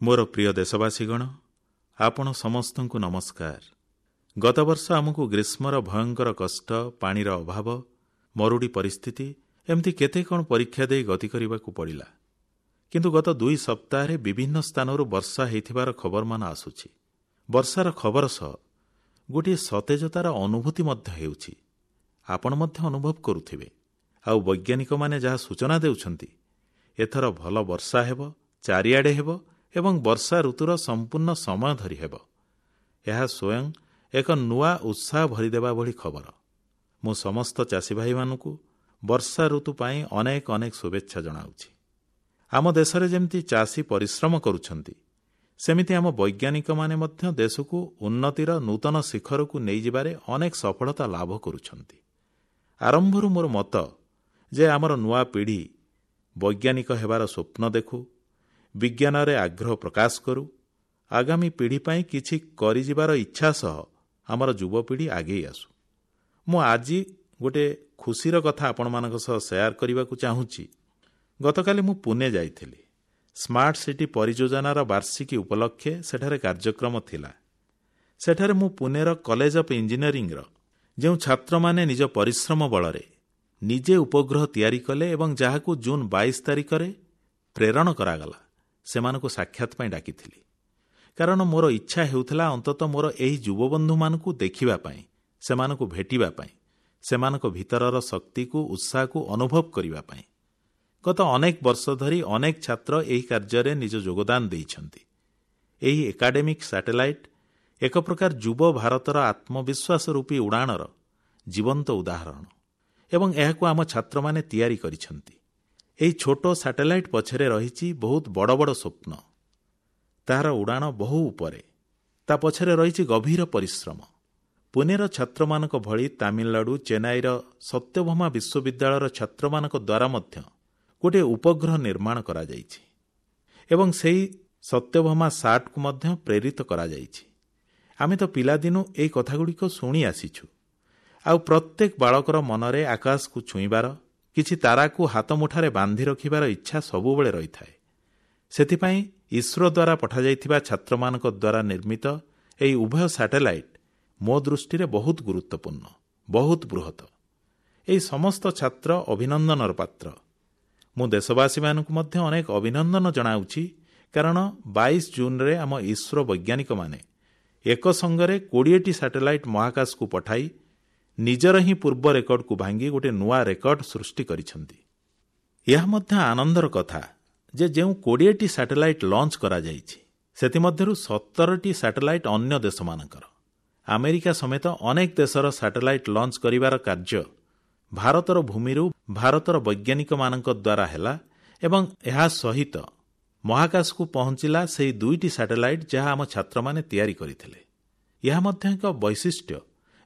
ମୋର ପ୍ରିୟ ଦେଶବାସୀଗଣ, ଆପଣ ସମସ୍ତଙ୍କୁ ନମସ୍କାର। ଗତବର୍ଷ ଆମକୁ ଗ୍ରୀଷ୍ମର ଭୟଙ୍କର କଷ୍ଟ, ପାଣିର ଅଭାବ, ମରୁଡ଼ି ପରିସ୍ଥିତି, ଏମିତି କେତେ କଣ ପରୀକ୍ଷା ଦେଇ ଗତି କରିବାକୁ ପଡ଼ିଲା। କିନ୍ତୁ ଗତ 2 ସପ୍ତାହରେ ବିଭିନ୍ନ ସ୍ଥାନରୁ ବର୍ଷା ହୋଇଥିବାର ଖବରମାନ ଆସୁଛି। ବର୍ଷାର ଖବର ସହ ଗୋଟିଏ ସତେଜତାର ଅନୁଭୂତି ମଧ୍ୟ ହେଉଛି। ଆପଣ ମଧ୍ୟ ଅନୁଭବ କରୁଥିବେ। ଆଉ ବୈଜ୍ଞାନିକମାନେ ଯାହା ସୂଚନା ଦେଉଛନ୍ତି, ଏଥର ଭଲ ବର୍ଷା ହେବ, ଚାରିଆଡ଼େ ହେବ ଏବଂ ବର୍ଷା ଋତୁର ସମ୍ପୂର୍ଣ୍ଣ ସମୟ ଧରି ହେବ। ଏହା ସ୍ୱୟଂ ଏକ ନୂଆ ଉତ୍ସାହ ଭରିଦେବା ଭଳି ଖବର। ମୁଁ ସମସ୍ତ ଚାଷୀଭାଇମାନଙ୍କୁ ବର୍ଷା ଋତୁ ପାଇଁ ଅନେକ ଅନେକ ଶୁଭେଚ୍ଛା ଜଣାଉଛି। ଆମ ଦେଶରେ ଯେମିତି ଚାଷୀ ପରିଶ୍ରମ କରୁଛନ୍ତି, ସେମିତି ଆମ ବୈଜ୍ଞାନିକମାନେ ମଧ୍ୟ ଦେଶକୁ ଉନ୍ନତିର ନୂତନ ଶିଖରକୁ ନେଇଯିବାରେ ଅନେକ ସଫଳତା ଲାଭ କରୁଛନ୍ତି। ଆରମ୍ଭରୁ ମୋର ମତ ଯେ ଆମର ନୂଆ ପିଢ଼ି ବୈଜ୍ଞାନିକ ହେବାର ସ୍ୱପ୍ନ ଦେଖୁ, ବିଜ୍ଞାନରେ ଆଗ୍ରହ ପ୍ରକାଶ କରୁ, ଆଗାମୀ ପିଢ଼ି ପାଇଁ କିଛି କରିଯିବାର ଇଚ୍ଛା ସହ ଆମର ଯୁବପିଢ଼ି ଆଗେଇ ଆସୁ। ମୁଁ ଆଜି ଗୋଟିଏ ଖୁସିର କଥା ଆପଣମାନଙ୍କ ସହ ସେୟାର କରିବାକୁ ଚାହୁଁଛି। ଗତକାଲି ମୁଁ ପୁନେ ଯାଇଥିଲି। ସ୍ମାର୍ଟ ସିଟି ପରିଯୋଜନାର ବାର୍ଷିକୀ ଉପଲକ୍ଷେ ସେଠାରେ କାର୍ଯ୍ୟକ୍ରମ ଥିଲା। ସେଠାରେ ମୁଁ ପୁନେର କଲେଜ ଅଫ୍ ଇଞ୍ଜିନିୟରିଂର ଯେଉଁ ଛାତ୍ରମାନେ ନିଜ ପରିଶ୍ରମ ବଳରେ ନିଜେ ଉପଗ୍ରହ ତିଆରି କଲେ ଏବଂ ଯାହାକୁ ଜୁନ୍ 22 ତାରିଖରେ ପ୍ରେରଣ କରାଗଲା, ସେମାନଙ୍କୁ ସାକ୍ଷାତ ପାଇଁ ଡାକିଥିଲି। କାରଣ ମୋର ଇଚ୍ଛା ହେଉଥିଲା ଅନ୍ତତଃ ମୋର ଏହି ଯୁବବନ୍ଧୁମାନଙ୍କୁ ଦେଖିବା ପାଇଁ, ସେମାନଙ୍କୁ ଭେଟିବା ପାଇଁ, ସେମାନଙ୍କ ଭିତରର ଶକ୍ତିକୁ, ଉତ୍ସାହକୁ ଅନୁଭବ କରିବା ପାଇଁ। ଗତ ଅନେକ ବର୍ଷ ଧରି ଅନେକ ଛାତ୍ର ଏହି କାର୍ଯ୍ୟରେ ନିଜ ଯୋଗଦାନ ଦେଇଛନ୍ତି। ଏହି ଏକାଡେମିକ୍ ସାଟେଲାଇଟ୍ ଏକ ପ୍ରକାର ଯୁବ ଭାରତର ଆତ୍ମବିଶ୍ୱାସ ରୂପୀ ଉଡ଼ାଣର ଜୀବନ୍ତ ଉଦାହରଣ ଏବଂ ଏହାକୁ ଆମ ଛାତ୍ରମାନେ ତିଆରି କରିଛନ୍ତି। ଏହି ଛୋଟ ସାଟେଲାଇଟ୍ ପଛରେ ରହିଛି ବହୁତ ବଡ଼ ବଡ଼ ସ୍ୱପ୍ନ। ତାହାର ଉଡ଼ାଣ ବହୁ ଉପରେ। ତା ପଛରେ ରହିଛି ଗଭୀର ପରିଶ୍ରମ। ପୁନେର ଛାତ୍ରମାନଙ୍କ ଭଳି ତାମିଲନାଡୁ ଚେନ୍ନାଇର ସତ୍ୟଭାମା ବିଶ୍ୱବିଦ୍ୟାଳୟର ଛାତ୍ରମାନଙ୍କ ଦ୍ୱାରା ମଧ୍ୟ ଗୋଟିଏ ଉପଗ୍ରହ ନିର୍ମାଣ କରାଯାଇଛି ଏବଂ ସେହି ସତ୍ୟଭାମା ସାଟ୍କୁ ମଧ୍ୟ ପ୍ରେରିତ କରାଯାଇଛି। ଆମେ ତ ପିଲାଦିନୁ ଏହି କଥାଗୁଡ଼ିକ ଶୁଣି ଆସିଛୁ। ଆଉ ପ୍ରତ୍ୟେକ ବାଳକର ମନରେ ଆକାଶକୁ ଛୁଇଁବାର, କିଛି ତାରାକୁ ହାତମୁଠାରେ ବାନ୍ଧି ରଖିବାର ଇଚ୍ଛା ସବୁବେଳେ ରହିଥାଏ। ସେଥିପାଇଁ ଇସ୍ରୋ ଦ୍ୱାରା ପଠାଯାଇଥିବା ଛାତ୍ରମାନଙ୍କ ଦ୍ୱାରା ନିର୍ମିତ ଏହି ଉଭୟ ସାଟେଲାଇଟ୍ ମୋ ଦୃଷ୍ଟିରେ ବହୁତ ଗୁରୁତ୍ୱପୂର୍ଣ୍ଣ, ବହୁତ ବୃହତ। ଏହି ସମସ୍ତ ଛାତ୍ର ଅଭିନନ୍ଦନର ପାତ୍ର। ମୁଁ ଦେଶବାସୀମାନଙ୍କୁ ମଧ୍ୟ ଅନେକ ଅଭିନନ୍ଦନ ଜଣାଉଛି, କାରଣ 22 ଜୁନରେ ଆମ ଇସ୍ରୋ ବୈଜ୍ଞାନିକମାନେ ଏକ ସଙ୍ଗରେ 20ଟି ସାଟେଲାଇଟ୍ ମହାକାଶକୁ ପଠାଇ ନିଜର ହିଁ ପୂର୍ବ ରେକର୍ଡକୁ ଭାଙ୍ଗି ଗୋଟିଏ ନୂଆ ରେକର୍ଡ ସୃଷ୍ଟି କରିଛନ୍ତି। ଏହା ମଧ୍ୟ ଆନନ୍ଦର କଥା ଯେ ଯେଉଁ 20ଟି ସାଟେଲାଇଟ୍ ଲଞ୍ଚ କରାଯାଇଛି, ସେଥିମଧ୍ୟରୁ 17ଟି ସାଟେଲାଇଟ୍ ଅନ୍ୟ ଦେଶମାନଙ୍କର। ଆମେରିକା ସମେତ ଅନେକ ଦେଶର ସାଟେଲାଇଟ୍ ଲଞ୍ଚ କରିବାର କାର୍ଯ୍ୟ ଭାରତର ଭୂମିରୁ ଭାରତର ବୈଜ୍ଞାନିକମାନଙ୍କ ଦ୍ୱାରା ହେଲା ଏବଂ ଏହା ସହିତ ମହାକାଶକୁ ପହଞ୍ଚିଲା ସେହି 2ଟି ସାଟେଲାଇଟ୍ ଯାହା ଆମ ଛାତ୍ରମାନେ ତିଆରି କରିଥିଲେ। ଏହା ମଧ୍ୟ ଏକ ବୈଶିଷ୍ଟ୍ୟ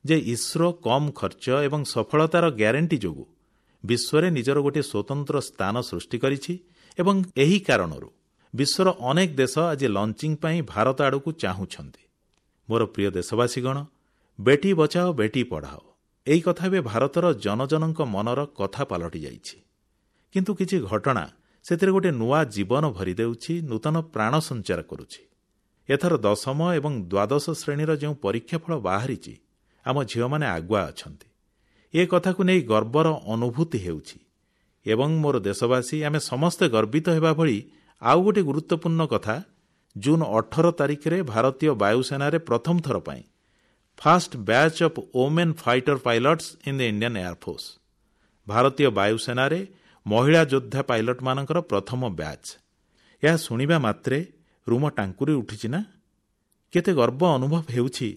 ଯେ ଇସ୍ରୋ କମ୍ ଖର୍ଚ୍ଚ ଏବଂ ସଫଳତାର ଗ୍ୟାରେଣ୍ଟି ଯୋଗୁଁ ବିଶ୍ୱରେ ନିଜର ଗୋଟିଏ ସ୍ୱତନ୍ତ୍ର ସ୍ଥାନ ସୃଷ୍ଟି କରିଛି ଏବଂ ଏହି କାରଣରୁ ବିଶ୍ୱର ଅନେକ ଦେଶ ଆଜି ଲଞ୍ଚିଂ ପାଇଁ ଭାରତ ଆଡ଼କୁ ଚାହୁଁଛନ୍ତି। ମୋର ପ୍ରିୟ ଦେଶବାସୀଗଣ, ବେଟି ବଚାଓ ବେଟି ପଢ଼ାଓ ଏହି କଥା ଏବେ ଭାରତର ଜନଜନଙ୍କ ମନର କଥା ପାଲଟି ଯାଇଛି। କିନ୍ତୁ କିଛି ଘଟଣା ସେଥିରେ ଗୋଟିଏ ନୂଆ ଜୀବନ ଭରିଦେଉଛି, ନୂତନ ପ୍ରାଣ ସଞ୍ଚାର କରୁଛି। ଏଥର 10ମ ଏବଂ 12 ଶ୍ରେଣୀର ଯେଉଁ ପରୀକ୍ଷାଫଳ ବାହାରିଛି, ଆମ ଝିଅମାନେ ଆଗୁଆ ଅଛନ୍ତି। ଏ କଥାକୁ ନେଇ ଗର୍ବର ଅନୁଭୂତି ହେଉଛି ଏବଂ ମୋର ଦେଶବାସୀ ଆମେ ସମସ୍ତେ ଗର୍ବିତ ହେବା ଭଳି ଆଉ ଗୋଟିଏ ଗୁରୁତ୍ୱପୂର୍ଣ୍ଣ କଥା, ଜୁନ୍ 18 ତାରିଖରେ ଭାରତୀୟ ବାୟୁସେନାରେ ପ୍ରଥମ ଥର ପାଇଁ first batch of women fighter pilots in the Indian Air Force, ଭାରତୀୟ ବାୟୁସେନାରେ ମହିଳା ଯୋଦ୍ଧା ପାଇଲଟମାନଙ୍କର ପ୍ରଥମ ବ୍ୟାଚ୍। ଏହା ଶୁଣିବା ମାତ୍ରେ ରୁମ ଟାଙ୍କୁରି ଉଠିଛି ନା? କେତେ ଗର୍ବ ଅନୁଭବ ହେଉଛି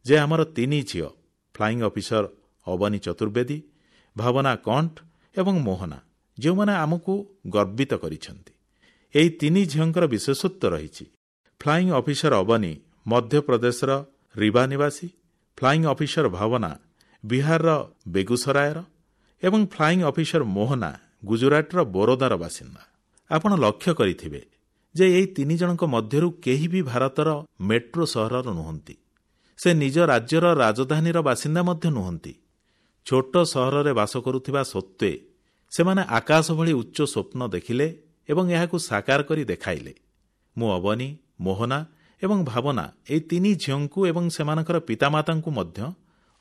ଯେ ଆମର 3 ଝିଅ, ଫ୍ଲାଇଂ ଅଫିସର ଅବନୀ ଚତୁର୍ବେଦୀ, ଭାବନା କଣ୍ଠ ଏବଂ ମୋହନା, ଯେଉଁମାନେ ଆମକୁ ଗର୍ବିତ କରିଛନ୍ତି। ଏହି 3 ଝିଅଙ୍କର ବିଶେଷତ୍ୱ ରହିଛି। ଫ୍ଲାଇଂ ଅଫିସର ଅବନୀ ମଧ୍ୟପ୍ରଦେଶର ରିବା ନିବାସୀ, ଫ୍ଲାଇଂ ଅଫିସର ଭାବନା ବିହାରର ବେଗୁସରାୟର ଏବଂ ଫ୍ଲାଇଂ ଅଫିସର ମୋହନା ଗୁଜୁରାଟର ବରୋଦାର ବାସିନ୍ଦା। ଆପଣ ଲକ୍ଷ୍ୟ କରିଥିବେ ଯେ ଏହି 3 ଜଣଙ୍କ ମଧ୍ୟରୁ କେହି ବି ଭାରତର ମେଟ୍ରୋ ସହରର ନୁହନ୍ତି। ସେ ନିଜ ରାଜ୍ୟର ରାଜଧାନୀର ବାସିନ୍ଦା ମଧ୍ୟ ନୁହନ୍ତି। ଛୋଟ ସହରରେ ବାସ କରୁଥିବା ସତ୍ତ୍ୱେ ସେମାନେ ଆକାଶ ଭଳି ଉଚ୍ଚ ସ୍ୱପ୍ନ ଦେଖିଲେ ଏବଂ ଏହାକୁ ସାକାର କରି ଦେଖାଇଲେ। ମୁଁ ଅବନୀ, ମୋହନା ଏବଂ ଭାବନା ଏହି ତିନି ଝିଅଙ୍କୁ ଏବଂ ସେମାନଙ୍କର ପିତାମାତାଙ୍କୁ ମଧ୍ୟ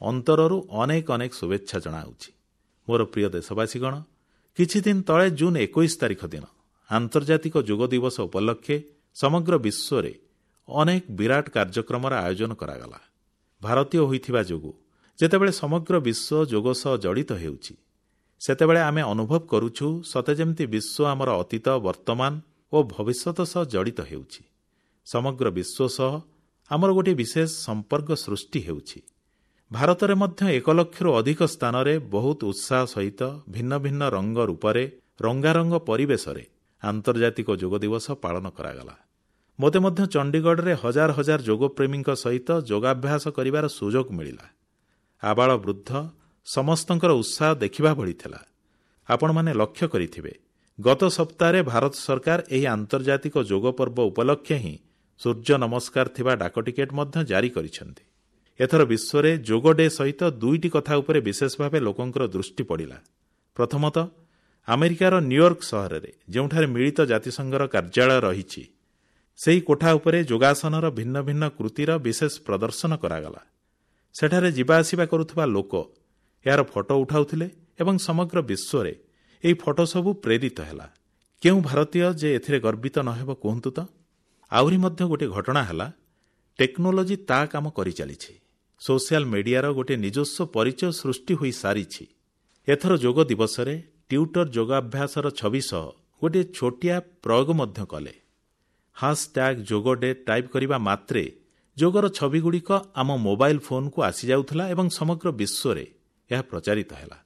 ଅନ୍ତରରୁ ଅନେକ ଅନେକ ଶୁଭେଚ୍ଛା ଜଣାଉଛି। ମୋର ପ୍ରିୟ ଦେଶବାସୀଗଣ, କିଛିଦିନ ତଳେ ଜୁନ୍ 21 ତାରିଖ ଦିନ ଆନ୍ତର୍ଜାତିକ ଯୋଗ ଦିବସ ଉପଲକ୍ଷେ ସମଗ୍ର ବିଶ୍ୱରେ ଅନେକ ବିରାଟ କାର୍ଯ୍ୟକ୍ରମର ଆୟୋଜନ କରାଗଲା। ଭାରତୀୟ ହୋଇଥିବା ଯୋଗୁଁ ଯେତେବେଳେ ସମଗ୍ର ବିଶ୍ୱ ଯୋଗ ସହ ଜଡ଼ିତ ହେଉଛି, ସେତେବେଳେ ଆମେ ଅନୁଭବ କରୁଛୁ ସତେ ଯେମିତି ବିଶ୍ୱ ଆମର ଅତୀତ, ବର୍ତ୍ତମାନ ଓ ଭବିଷ୍ୟତ ସହ ଜଡ଼ିତ ହେଉଛି। ସମଗ୍ର ବିଶ୍ୱ ସହ ଆମର ଗୋଟିଏ ବିଶେଷ ସମ୍ପର୍କ ସୃଷ୍ଟି ହେଉଛି। ଭାରତରେ ମଧ୍ୟ 1 ଲକ୍ଷରୁ ଅଧିକ ସ୍ଥାନରେ ବହୁତ ଉତ୍ସାହ ସହିତ ଭିନ୍ନ ଭିନ୍ନ ରଙ୍ଗ ରୂପରେ ରଙ୍ଗାରଙ୍ଗ ପରିବେଶରେ ଆନ୍ତର୍ଜାତିକ ଯୋଗ ଦିବସ ପାଳନ କରାଗଲା। ମୋତେ ମଧ୍ୟ ଚଣ୍ଡିଗଡ଼ରେ ହଜାର ହଜାର ଯୋଗପ୍ରେମୀଙ୍କ ସହିତ ଯୋଗାଭ୍ୟାସ କରିବାର ସୁଯୋଗ ମିଳିଲା। ଆବାଳ ବୃଦ୍ଧ ସମସ୍ତଙ୍କର ଉତ୍ସାହ ଦେଖିବା ଭଳି ଥିଲା। ଆପଣମାନେ ଲକ୍ଷ୍ୟ କରିଥିବେ, ଗତ ସପ୍ତାହରେ ଭାରତ ସରକାର ଏହି ଆନ୍ତର୍ଜାତିକ ଯୋଗ ପର୍ବ ଉପଲକ୍ଷେ ହିଁ ସୂର୍ଯ୍ୟ ନମସ୍କାର ଥିବା ଡାକଟିକେଟ ମଧ୍ୟ ଜାରି କରିଛନ୍ତି। ଏଥର ବିଶ୍ୱରେ ଯୋଗ ଡେ ସହିତ ଦୁଇଟି କଥା ଉପରେ ବିଶେଷ ଭାବେ ଲୋକଙ୍କର ଦୃଷ୍ଟି ପଡ଼ିଲା। ପ୍ରଥମତଃ, ଆମେରିକାର ନ୍ୟୁୟର୍କ ସହରରେ ଯେଉଁଠାରେ ମିଳିତ ଜାତିସଂଘର କାର୍ଯ୍ୟାଳୟ ରହିଛି, ସେହି କୋଠା ଉପରେ ଯୋଗାସନର ଭିନ୍ନ ଭିନ୍ନ କୃତିର ବିଶେଷ ପ୍ରଦର୍ଶନ କରାଗଲା। ସେଠାରେ ଯିବା ଆସିବା କରୁଥିବା ଲୋକ ଏହାର ଫଟୋ ଉଠାଉଥିଲେ ଏବଂ ସମଗ୍ର ବିଶ୍ୱରେ ଏହି ଫଟୋ ସବୁ ପ୍ରେରିତ ହେଲା। କେଉଁ ଭାରତୀୟ ଯେ ଏଥିରେ ଗର୍ବିତ ନ ହେବ କୁହନ୍ତୁ ତ? ଆହୁରି ମଧ୍ୟ ଗୋଟିଏ ଘଟଣା ହେଲା, ଟେକ୍ନୋଲୋଜି ତା କାମ କରିଚାଲିଛି। ସୋସିଆଲ ମିଡିଆର ଗୋଟିଏ ନିଜସ୍ୱ ପରିଚୟ ସୃଷ୍ଟି ହୋଇସାରିଛି। ଏଥର ଯୋଗ ଦିବସରେ ଟ୍ୱିଟର ଯୋଗାଭ୍ୟାସର ଛବି ସହ ଗୋଟିଏ ଛୋଟିଆ ପ୍ରୟୋଗ ମଧ୍ୟ କଲେ। #ଯୋଗ ଡେ ଟାଇପ୍ କରିବା ମାତ୍ରେ ଯୋଗର ଛବିଗୁଡ଼ିକ ଆମ ମୋବାଇଲ ଫୋନକୁ ଆସିଯାଉଥିଲା ଏବଂ ସମଗ୍ର ବିଶ୍ୱରେ ଏହା ପ୍ରଚାରିତ ହେଲା।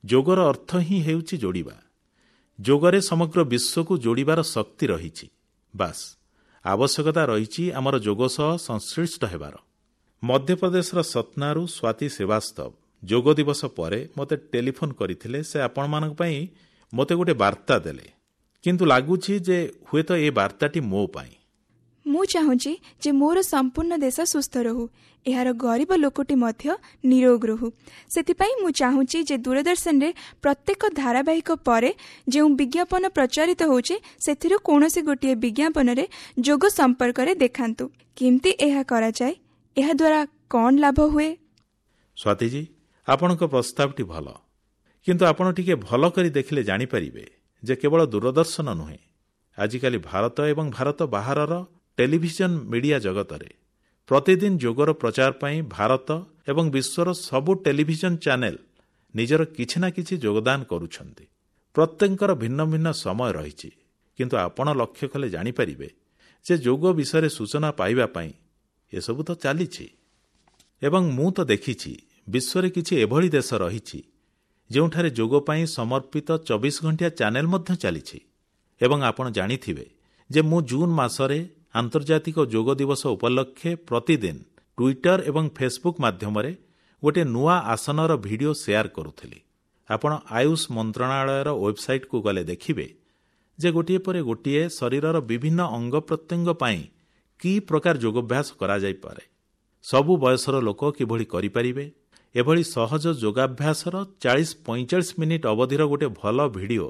ଯୋଗର ଅର୍ଥ ହିଁ ହେଉଛି ଯୋଡ଼ିବା। ଯୋଗରେ ସମଗ୍ର ବିଶ୍ୱକୁ ଯୋଡ଼ିବାର ଶକ୍ତି ରହିଛି। ବାସ୍, ଆବଶ୍ୟକତା ରହିଛି ଆମର ଯୋଗ ସହ ସଂଶ୍ଳିଷ୍ଟ ହେବାର। ମଧ୍ୟପ୍ରଦେଶର ସତ୍ନାରୁ ସ୍ୱାତି ଶ୍ରୀବାସ୍ତବ ଯୋଗ ଦିବସ ପରେ ମୋତେ ଟେଲିଫୋନ୍ କରିଥିଲେ। ସେ ଆପଣମାନଙ୍କ ପାଇଁ ମୋତେ ଗୋଟିଏ ବାର୍ତ୍ତା ଦେଲେ, କିନ୍ତୁ ଲାଗୁଛି ଯେ ହୁଏତ ଏ ବାର୍ତ୍ତାଟି ମୋ ପାଇଁ। ମୁଁ ଚାହୁଁଛି ଯେ ମୋର ସମ୍ପୂର୍ଣ୍ଣ ଦେଶ ସୁସ୍ଥ ରହୁ, ଏହାର ଗରିବ ଲୋକଟି ମଧ୍ୟ ନିରୋଗ ରହୁ। ସେଥିପାଇଁ ମୁଁ ଚାହୁଁଛି ଯେ ଦୂରଦର୍ଶନରେ ପ୍ରତ୍ୟେକ ଧାରାବାହିକ ପରେ ଯେଉଁ ବିଜ୍ଞାପନ ପ୍ରଚାରିତ ହେଉଛି, ସେଥିରୁ କୌଣସି ଗୋଟିଏ ବିଜ୍ଞାପନରେ ଯୋଗ ସମ୍ପର୍କରେ ଦେଖାନ୍ତୁ। କେମିତି ଏହା କରାଯାଏ, ଏହାଦ୍ୱାରା କ'ଣ ଲାଭ ହୁଏ? ସ୍ୱାତିଜୀ, ଆପଣଙ୍କ ପ୍ରସ୍ତାବଟି ଭଲ, କିନ୍ତୁ ଆପଣ ଟିକେ ଭଲ କରି ଦେଖିଲେ ଜାଣିପାରିବେ ଯେ କେବଳ ଦୂରଦର୍ଶନ ନୁହେଁ, ଆଜିକାଲି ଭାରତ ଏବଂ ଭାରତ ବାହାରର ଟେଲିଭିଜନ ମିଡିଆ ଜଗତରେ ପ୍ରତିଦିନ ଯୋଗର ପ୍ରଚାର ପାଇଁ ଭାରତ ଏବଂ ବିଶ୍ୱର ସବୁ ଟେଲିଭିଜନ ଚ୍ୟାନେଲ ନିଜର କିଛି ନା କିଛି ଯୋଗଦାନ କରୁଛନ୍ତି। ପ୍ରତ୍ୟେକଙ୍କର ଭିନ୍ନ ଭିନ୍ନ ସମୟ ରହିଛି, କିନ୍ତୁ ଆପଣ ଲକ୍ଷ୍ୟ କଲେ ଜାଣିପାରିବେ ଯେ ଯୋଗ ବିଷୟରେ ସୂଚନା ପାଇବା ପାଇଁ ଏସବୁ ତ ଚାଲିଛି। ଏବଂ ମୁଁ ତ ଦେଖିଛି ବିଶ୍ୱରେ କିଛି ଏଭଳି ଦେଶ ରହିଛି ଯେଉଁଠାରେ ଯୋଗ ପାଇଁ ସମର୍ପିତ 24 ଘଣ୍ଟିଆ ଚ୍ୟାନେଲ ମଧ୍ୟ ଚାଲିଛି। ଏବଂ ଆପଣ ଜାଣିଥିବେ ଯେ ମୁଁ ଜୁନ୍ ମାସରେ ଆନ୍ତର୍ଜାତିକ ଯୋଗ ଦିବସ ଉପଲକ୍ଷେ ପ୍ରତିଦିନ ଟ୍ୱିଟର ଏବଂ ଫେସବୁକ୍ ମାଧ୍ୟମରେ ଗୋଟିଏ ନୂଆ ଆସନର ଭିଡିଓ ସେୟାର କରୁଥିଲି। ଆପଣ ଆୟୁଷ ମନ୍ତ୍ରଣାଳୟର ୱେବସାଇଟ୍କୁ ଗଲେ ଦେଖିବେ ଯେ ଗୋଟିଏ ପରେ ଗୋଟିଏ ଶରୀରର ବିଭିନ୍ନ ଅଙ୍ଗ ପ୍ରତ୍ୟଙ୍ଗ ପାଇଁ କି ପ୍ରକାର ଯୋଗାଭ୍ୟାସ କରାଯାଇପାରେ, ସବୁ ବୟସର ଲୋକ କିଭଳି କରିପାରିବେ, ଏଭଳି ସହଜ ଯୋଗାଭ୍ୟାସର 40-45 ମିନିଟ୍ ଅବଧିର ଗୋଟିଏ ଭଲ ଭିଡିଓ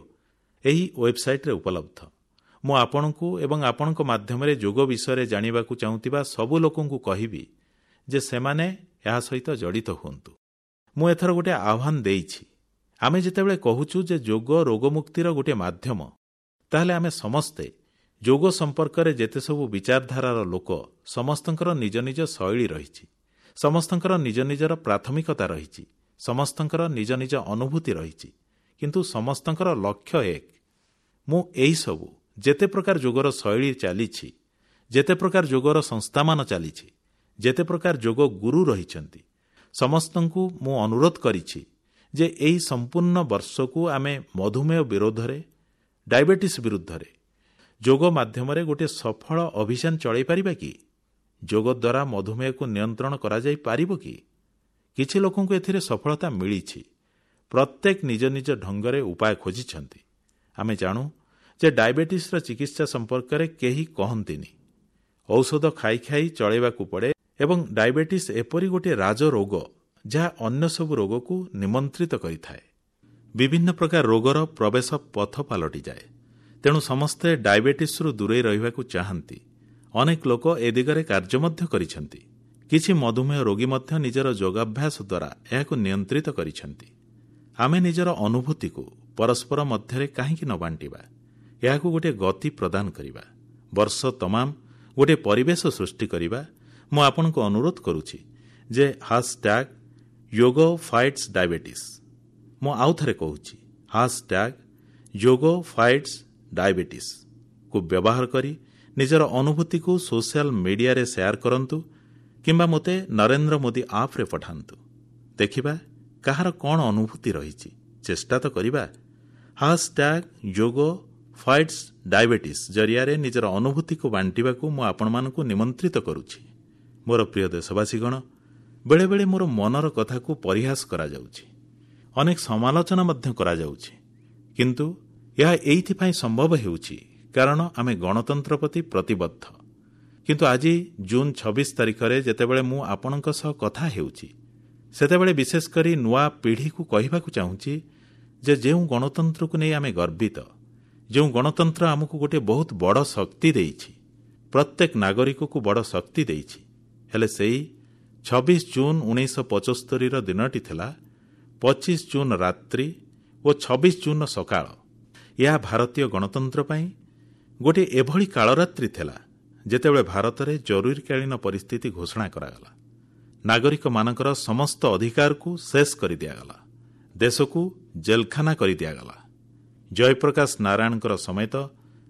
ଏହି ୱେବସାଇଟ୍ରେ ଉପଲବ୍ଧ। ମୁଁ ଆପଣଙ୍କୁ ଏବଂ ଆପଣଙ୍କ ମାଧ୍ୟମରେ ଯୋଗ ବିଷୟରେ ଜାଣିବାକୁ ଚାହୁଁଥିବା ସବୁ ଲୋକଙ୍କୁ କହିବି ଯେ ସେମାନେ ଏହା ସହିତ ଜଡ଼ିତ ହୁଅନ୍ତୁ। ମୁଁ ଏଥର ଗୋଟିଏ ଆହ୍ୱାନ ଦେଇଛି। ଆମେ ଯେତେବେଳେ କହୁଛୁ ଯେ ଯୋଗ ରୋଗମୁକ୍ତିର ଗୋଟିଏ ମାଧ୍ୟମ, ତାହେଲେ ଆମେ ସମସ୍ତେ ଯୋଗ ସମ୍ପର୍କରେ ଯେତେ ସବୁ ବିଚାରଧାରାର ଲୋକ, ସମସ୍ତଙ୍କର ନିଜ ନିଜ ଶୈଳୀ ରହିଛି, ସମସ୍ତଙ୍କର ନିଜ ନିଜର ପ୍ରାଥମିକତା ରହିଛି, ସମସ୍ତଙ୍କର ନିଜ ନିଜ ଅନୁଭୂତି ରହିଛି, କିନ୍ତୁ ସମସ୍ତଙ୍କର ଲକ୍ଷ୍ୟ ଏକ। ମୁଁ ଏହିସବୁ ଯେତେ ପ୍ରକାର ଯୋଗର ଶୈଳୀ ଚାଲିଛି, ଯେତେ ପ୍ରକାର ଯୋଗର ସଂସ୍ଥାମାନ ଚାଲିଛି, ଯେତେ ପ୍ରକାର ଯୋଗ ଗୁରୁ ରହିଛନ୍ତି, ସମସ୍ତଙ୍କୁ ମୁଁ ଅନୁରୋଧ କରିଛି ଯେ ଏହି ସମ୍ପୂର୍ଣ୍ଣ ବର୍ଷକୁ ଆମେ ମଧୁମେହ ବିରୋଧରେ, ଡାଇବେଟିସ୍ ବିରୁଦ୍ଧରେ ଯୋଗ ମାଧ୍ୟମରେ ଗୋଟିଏ ସଫଳ ଅଭିଯାନ ଚଳାଇ ପାରିବା କି? ଯୋଗ ଦ୍ୱାରା ମଧୁମେହକୁ ନିୟନ୍ତ୍ରଣ କରାଯାଇପାରିବ କି? କିଛି ଲୋକଙ୍କୁ ଏଥିରେ ସଫଳତା ମିଳିଛି। ପ୍ରତ୍ୟେକ ନିଜ ନିଜ ଢଙ୍ଗରେ ଉପାୟ ଖୋଜିଛନ୍ତି। ଆମେ ଜାଣୁ ଯେ ଡାଇବେଟିସ୍ର ଚିକିତ୍ସା ସମ୍ପର୍କରେ କେହି କହନ୍ତିନି। ଔଷଧ ଖାଇ ଖାଇ ଚଳାଇବାକୁ ପଡ଼େ ଏବଂ ଡାଇବେଟିସ୍ ଏପରି ଗୋଟିଏ ରାଜରୋଗ ଯାହା ଅନ୍ୟ ସବୁ ରୋଗକୁ ନିମନ୍ତ୍ରିତ କରିଥାଏ। ବିଭିନ୍ନ ପ୍ରକାର ରୋଗର ପ୍ରବେଶ ପଥ ପାଲଟିଯାଏ। ତେଣୁ ସମସ୍ତେ ଡାଇବେଟିସ୍ରୁ ଦୂରେଇ ରହିବାକୁ ଚାହାନ୍ତି। ଅନେକ ଲୋକ ଏ ଦିଗରେ କାର୍ଯ୍ୟ ମଧ୍ୟ କରିଛନ୍ତି। କିଛି ମଧୁମେହ ରୋଗୀ ମଧ୍ୟ ନିଜର ଯୋଗାଭ୍ୟାସ ଦ୍ୱାରା ଏହାକୁ ନିୟନ୍ତ୍ରିତ କରିଛନ୍ତି। ଆମେ ନିଜର ଅନୁଭୂତିକୁ ପରସ୍ପର ମଧ୍ୟରେ କାହିଁକି ନ ବାଣ୍ଟିବା? ଏହାକୁ ଗୋଟିଏ ଗତି ପ୍ରଦାନ କରିବା। ବର୍ଷ ତମାମ ଗୋଟିଏ ପରିବେଶ ସୃଷ୍ଟି କରିବା। ମୁଁ ଆପଣଙ୍କୁ ଅନୁରୋଧ କରୁଛି ଯେ #YogaFightsDiabetes, ମୁଁ ଆଉ ଥରେ କହୁଛି, #YogaFightsDiabetes କୁ ବ୍ୟବହାର କରି ନିଜର ଅନୁଭୂତିକୁ ସୋସିଆଲ ମିଡିଆରେ ସେୟାର କରନ୍ତୁ କିମ୍ବା ମୋତେ ନରେନ୍ଦ୍ର ମୋଦି ଆପ୍ରେ ପଠାନ୍ତୁ। ଦେଖିବା କାହାର କଣ ଅନୁଭୂତି ରହିଛି। ଚେଷ୍ଟା ତ କରିବା। #YogaFightsDiabetes ଜରିଆରେ ନିଜର ଅନୁଭୂତିକୁ ବାଣ୍ଟିବାକୁ ମୁଁ ଆପଣମାନଙ୍କୁ ନିମନ୍ତ୍ରିତ କରୁଛି। ମୋର ପ୍ରିୟ ଦେଶବାସୀଗଣ, ବେଳେବେଳେ ମୋର ମନର କଥାକୁ ପରିହାସ କରାଯାଉଛି, ଅନେକ ସମାଲୋଚନା ମଧ୍ୟ କରାଯାଉଛି। କିନ୍ତୁ ଏହା ଏଇଥିପାଇଁ ସମ୍ଭବ ହେଉଛି କାରଣ ଆମେ ଗଣତନ୍ତ୍ର ପ୍ରତି ପ୍ରତିବଦ୍ଧ। କିନ୍ତୁ ଆଜି ଜୁନ୍ 26 ତାରିଖରେ ଯେତେବେଳେ ମୁଁ ଆପଣଙ୍କ ସହ କଥା ହେଉଛି, ସେତେବେଳେ ବିଶେଷ କରି ନୂଆ ପିଢ଼ିକୁ କହିବାକୁ ଚାହୁଁଛି ଯେ ଯେଉଁ ଗଣତନ୍ତ୍ରକୁ ନେଇ ଆମେ ଗର୍ବିତ, ଯେଉଁ ଗଣତନ୍ତ୍ର ଆମକୁ ଗୋଟିଏ ବହୁତ ବଡ଼ ଶକ୍ତି ଦେଇଛି, ପ୍ରତ୍ୟେକ ନାଗରିକକୁ ବଡ଼ ଶକ୍ତି ଦେଇଛି, ହେଲେ ସେଇ 26 ଜୁନ୍ 1975ର ଦିନଟି ଥିଲା 25 ଜୁନ୍ ରାତ୍ରି ଓ 26 ଜୁନ୍ର ସକାଳ। ଏହା ଭାରତୀୟ ଗଣତନ୍ତ୍ର ପାଇଁ ଗୋଟିଏ ଏଭଳି କାଳରାତ୍ରି ଥିଲା ଯେତେବେଳେ ଭାରତରେ ଜରୁରୀକାଳୀନ ପରିସ୍ଥିତି ଘୋଷଣା କରାଗଲା। ନାଗରିକମାନଙ୍କର ସମସ୍ତ ଅଧିକାରକୁ ଶେଷ କରିଦିଆଗଲା। ଦେଶକୁ ଜେଲଖାନା କରିଦିଆଗଲା। ଜୟପ୍ରକାଶ ନାରାୟଣଙ୍କର ସମେତ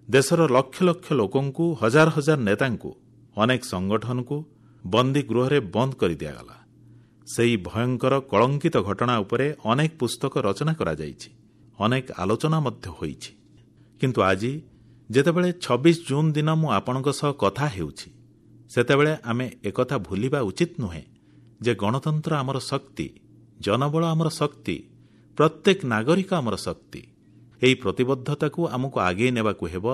ଦେଶର ଲକ୍ଷ ଲକ୍ଷ ଲୋକଙ୍କୁ, ହଜାର ହଜାର ନେତାଙ୍କୁ, ଅନେକ ସଂଗଠନକୁ ବନ୍ଦୀ ଗୃହରେ ବନ୍ଦ କରିଦିଆଗଲା। ସେହି ଭୟଙ୍କର କଳଙ୍କିତ ଘଟଣା ଉପରେ ଅନେକ ପୁସ୍ତକ ରଚନା କରାଯାଇଛି, ଅନେକ ଆଲୋଚନା ମଧ୍ୟ ହୋଇଛି। କିନ୍ତୁ ଆଜି ଯେତେବେଳେ 26 ଜୁନ୍ ଦିନ ମୁଁ ଆପଣଙ୍କ ସହ କଥା ହେଉଛି, ସେତେବେଳେ ଆମେ ଏକଥା ଭୁଲିବା ଉଚିତ ନୁହେଁ ଯେ ଗଣତନ୍ତ୍ର ଆମର ଶକ୍ତି, ଜନବଳ ଆମର ଶକ୍ତି, ପ୍ରତ୍ୟେକ ନାଗରିକ ଆମର ଶକ୍ତି। ଏହି ପ୍ରତିବଦ୍ଧତାକୁ ଆମକୁ ଆଗେଇ ନେବାକୁ ହେବ,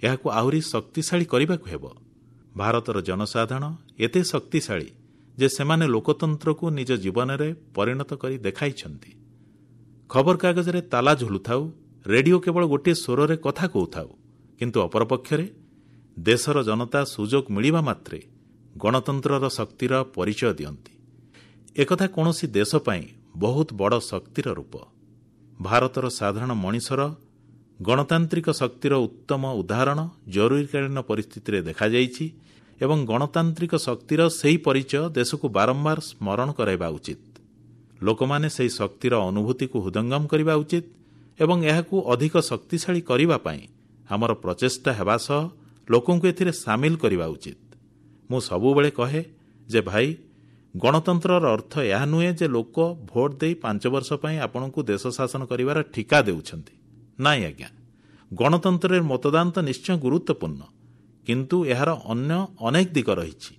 ଏହାକୁ ଆହୁରି ଶକ୍ତିଶାଳୀ କରିବାକୁ ହେବ। ଭାରତର ଜନସାଧାରଣ ଏତେ ଶକ୍ତିଶାଳୀ ଯେ ସେମାନେ ଲୋକତନ୍ତ୍ରକୁ ନିଜ ଜୀବନରେ ପରିଣତ କରି ଦେଖାଇଛନ୍ତି। ଖବରକାଗଜରେ ତାଲା ଝୁଲୁଥାଉ, ରେଡିଓ କେବଳ ଗୋଟିଏ ସ୍ୱରରେ କଥା କହୁଥାଉ, କିନ୍ତୁ ଅପରପକ୍ଷରେ ଦେଶର ଜନତା ସୁଯୋଗ ମିଳିବା ମାତ୍ରେ ଗଣତନ୍ତ୍ରର ଶକ୍ତିର ପରିଚୟ ଦିଅନ୍ତି। ଏକଥା କୌଣସି ଦେଶ ପାଇଁ ବହୁତ ବଡ଼ ଶକ୍ତିର ରୂପ। ଭାରତର ସାଧାରଣ ମଣିଷର ଗଣତାନ୍ତ୍ରିକ ଶକ୍ତିର ଉତ୍ତମ ଉଦାହରଣ ଜରୁରୀକାଳୀନ ପରିସ୍ଥିତିରେ ଦେଖାଯାଇଛି ଏବଂ ଗଣତାନ୍ତ୍ରିକ ଶକ୍ତିର ସେହି ପରିଚୟ ଦେଶକୁ ବାରମ୍ବାର ସ୍ମରଣ କରାଇବା ଉଚିତ। ଲୋକମାନେ ସେହି ଶକ୍ତିର ଅନୁଭୂତିକୁ ହୃଦୟଙ୍ଗମ କରିବା ଉଚିତ ଏବଂ ଏହାକୁ ଅଧିକ ଶକ୍ତିଶାଳୀ କରିବା ପାଇଁ ଆମର ପ୍ରଚେଷ୍ଟା ହେବା ସହ ଲୋକଙ୍କୁ ଏଥିରେ ସାମିଲ କରିବା ଉଚିତ। ମୁଁ ସବୁବେଳେ କହେ ଯେ ଭାଇ, ଗଣତନ୍ତ୍ରର ଅର୍ଥ ଏହା ନୁହେଁ ଯେ ଲୋକ ଭୋଟ ଦେଇ 5 ବର୍ଷ ପାଇଁ ଆପଣଙ୍କୁ ଦେଶ ଶାସନ କରିବାର ଠିକା ଦେଉଛନ୍ତି। ନାଇଁ ଆଜ୍ଞା, ଗଣତନ୍ତ୍ରରେ ମତଦାନ ତ ନିଶ୍ଚୟ ଗୁରୁତ୍ୱପୂର୍ଣ୍ଣ, କିନ୍ତୁ ଏହାର ଅନ୍ୟ ଅନେକ ଦିଗ ରହିଛି।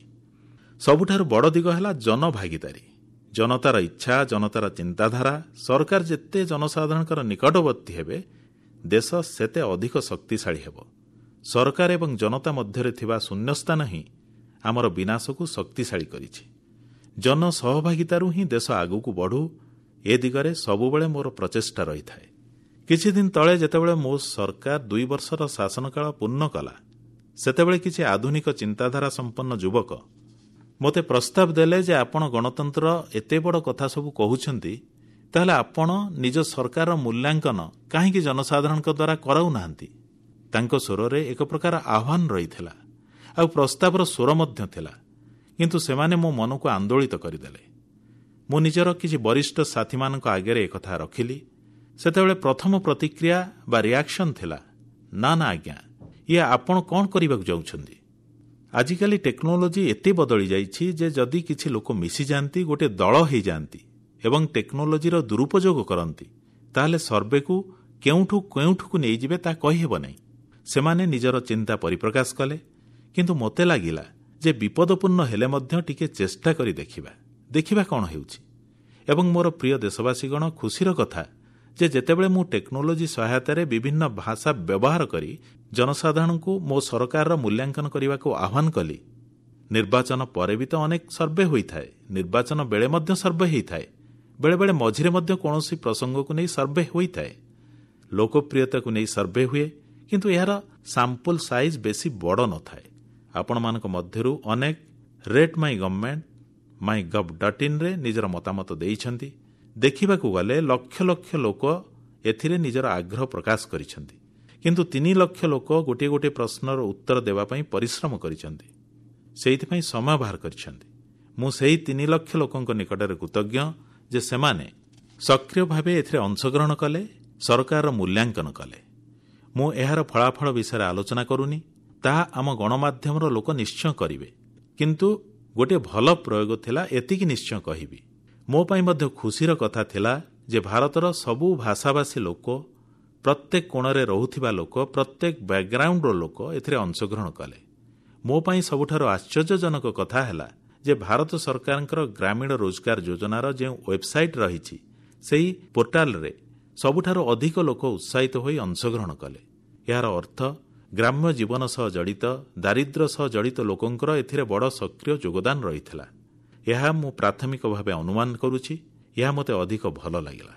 ସବୁଠାରୁ ବଡ଼ ଦିଗ ହେଲା ଜନଭାଗିଦାରୀ। ଜନତାର ଇଚ୍ଛା, ଜନତାର ଚିନ୍ତାଧାରା। ସରକାର ଯେତେ ଜନସାଧାରଣଙ୍କର ନିକଟବର୍ତ୍ତୀ ହେବେ, ଦେଶ ସେତେ ଅଧିକ ଶକ୍ତିଶାଳୀ ହେବ। ସରକାର ଏବଂ ଜନତା ମଧ୍ୟରେ ଥିବା ଶୂନ୍ୟସ୍ଥାନ ହିଁ ଆମର ବିନାଶକୁ ଶକ୍ତିଶାଳୀ କରିଛି। ଜନସହଭାଗିତାରୁ ହିଁ ଦେଶ ଆଗକୁ ବଢ଼ୁ, ଏ ଦିଗରେ ସବୁବେଳେ ମୋର ପ୍ରଚେଷ୍ଟା ରହିଥାଏ। କିଛି ଦିନ ତଳେ ଯେତେବେଳେ ମୋ ସରକାର 2 ବର୍ଷର ଶାସନକାଳ ପୂର୍ଣ୍ଣ କଲା, ସେତେବେଳେ କିଛି ଆଧୁନିକ ଚିନ୍ତାଧାରା ସମ୍ପନ୍ନ ଯୁବକ ମୋତେ ପ୍ରସ୍ତାବ ଦେଲେ ଯେ ଆପଣ ଗଣତନ୍ତ୍ର ଏତେ ବଡ଼ କଥା ସବୁ କହୁଛନ୍ତି, ତାହେଲେ ଆପଣ ନିଜ ସରକାରର ମୂଲ୍ୟାଙ୍କନ କାହିଁକି ଜନସାଧାରଣଙ୍କ ଦ୍ୱାରା କରାଉନାହାନ୍ତି? ତାଙ୍କ ସ୍ୱରରେ ଏକ ପ୍ରକାର ଆହ୍ୱାନ ରହିଥିଲା ଆଉ ପ୍ରସ୍ତାବର ସ୍ୱର ମଧ୍ୟ ଥିଲା, କିନ୍ତୁ ସେମାନେ ମୋ ମନକୁ ଆନ୍ଦୋଳିତ କରିଦେଲେ। ମୁଁ ନିଜର କିଛି ବରିଷ୍ଠ ସାଥୀମାନଙ୍କ ଆଗରେ ଏକଥା ରଖିଲି। ସେତେବେଳେ ପ୍ରଥମ ପ୍ରତିକ୍ରିୟା ବା ରିଆକ୍ସନ୍ ଥିଲା, ନା ନା ଆଜ୍ଞା, ଇଏ ଆପଣ କ'ଣ କରିବାକୁ ଯାଉଛନ୍ତି? ଆଜିକାଲି ଟେକ୍ନୋଲୋଜି ଏତେ ବଦଳି ଯାଇଛି ଯେ ଯଦି କିଛି ଲୋକ ମିଶିଯାଆନ୍ତି, ଗୋଟିଏ ଦଳ ହେଇଯାଆନ୍ତି ଏବଂ ଟେକ୍ନୋଲୋଜିର ଦୁରୁପଯୋଗ କରନ୍ତି, ତାହେଲେ ସର୍ଭେକୁ କେଉଁଠୁ କେଉଁଠୁକୁ ନେଇଯିବେ ତାହା କହିହେବ ନାହିଁ। ସେମାନେ ନିଜର ଚିନ୍ତା ପରିପ୍ରକାଶ କଲେ, କିନ୍ତୁ ମୋତେ ଲାଗିଲା ଯେ ବିପଦପୂର୍ଣ୍ଣ ହେଲେ ମଧ୍ୟ ଟିକେ ଚେଷ୍ଟା କରି ଦେଖିବା, ଦେଖିବା କ'ଣ ହେଉଛି। ଏବଂ ମୋର ପ୍ରିୟ ଦେଶବାସୀଗଣ, ଖୁସିର କଥା ଯେ ଯେତେବେଳେ ମୁଁ ଟେକ୍ନୋଲୋଜି ସହାୟତାରେ ବିଭିନ୍ନ ଭାଷା ବ୍ୟବହାର କରି ଜନସାଧାରଣଙ୍କୁ ମୋ ସରକାରର ମୂଲ୍ୟାଙ୍କନ କରିବାକୁ ଆହ୍ୱାନ କଲି, ନିର୍ବାଚନ ପରେ ବି ତ ଅନେକ ସର୍ଭେ ହୋଇଥାଏ, ନିର୍ବାଚନ ବେଳେ ମଧ୍ୟ ସର୍ଭେ ହୋଇଥାଏ, ବେଳେବେଳେ ମଝିରେ ମଧ୍ୟ କୌଣସି ପ୍ରସଙ୍ଗକୁ ନେଇ ସର୍ଭେ ହୋଇଥାଏ, ଲୋକପ୍ରିୟତାକୁ ନେଇ ସର୍ଭେ ହୁଏ, କିନ୍ତୁ ଏହାର ସାମ୍ପଲ ସାଇଜ୍ ବେଶୀ ବଡ଼ ନଥାଏ। ଆପଣମାନଙ୍କ ମଧ୍ୟରୁ ଅନେକ rate my government mygov.in ରେ ନିଜର ମତାମତ ଦେଇଛନ୍ତି। ଦେଖିବାକୁ ଗଲେ ଲକ୍ଷ ଲକ୍ଷ ଲୋକ ଏଥିରେ ନିଜର ଆଗ୍ରହ ପ୍ରକାଶ କରିଛନ୍ତି। କିନ୍ତୁ 3 ଲକ୍ଷ ଲୋକ ଗୋଟିଏ ଗୋଟିଏ ପ୍ରଶ୍ନର ଉତ୍ତର ଦେବା ପାଇଁ ପରିଶ୍ରମ କରିଛନ୍ତି, ସେଇଥିପାଇଁ ସମୟ ବାହାର କରିଛନ୍ତି। ମୁଁ ସେହି 3 ଲକ୍ଷ ଲୋକଙ୍କ ନିକଟରେ କୃତଜ୍ଞ ଯେ ସେମାନେ ସକ୍ରିୟ ଭାବେ ଏଥିରେ ଅଂଶଗ୍ରହଣ କଲେ, ସରକାରର ମୂଲ୍ୟାଙ୍କନ କଲେ। ମୁଁ ଏହାର ଫଳାଫଳ ବିଷୟରେ ଆଲୋଚନା କରୁନି, ତାହା ଆମ ଗଣମାଧ୍ୟମର ଲୋକ ନିଶ୍ଚୟ କରିବେ। କିନ୍ତୁ ଗୋଟିଏ ଭଲ ପ୍ରୟୋଗ ଥିଲା, ଏତିକି ନିଶ୍ଚୟ କହିବି। ମୋ ପାଇଁ ମଧ୍ୟ ଖୁସିର କଥା ଥିଲା ଯେ ଭାରତର ସବୁ ଭାଷାଭାଷୀ ଲୋକ, ପ୍ରତ୍ୟେକ କୋଣରେ ରହୁଥିବା ଲୋକ, ପ୍ରତ୍ୟେକ ବ୍ୟାକଗ୍ରାଉଣ୍ଡର ଲୋକ ଏଥିରେ ଅଂଶଗ୍ରହଣ କଲେ। ମୋ ପାଇଁ ସବୁଠାରୁ ଆଶ୍ଚର୍ଯ୍ୟଜନକ କଥା ହେଲା ଯେ ଭାରତ ସରକାରଙ୍କର ଗ୍ରାମୀଣ ରୋଜଗାର ଯୋଜନାର ଯେଉଁ ୱେବସାଇଟ୍ ରହିଛି, ସେହି ପୋର୍ଟାଲରେ ସବୁଠାରୁ ଅଧିକ ଲୋକ ଉତ୍ସାହିତ ହୋଇ ଅଂଶଗ୍ରହଣ କଲେ। ଏହାର ଅର୍ଥ ଗ୍ରାମ୍ୟ ଜୀବନ ସହ ଜଡ଼ିତ, ଦାରିଦ୍ର୍ୟ ସହ ଜଡ଼ିତ ଲୋକଙ୍କର ଏଥିରେ ବଡ଼ ସକ୍ରିୟ ଯୋଗଦାନ ରହିଥିଲା। ଏହା ମୁଁ ପ୍ରାଥମିକ ଭାବେ ଅନୁମାନ କରୁଛି। ଏହା ମୋତେ ଅଧିକ ଭଲ ଲାଗିଲା।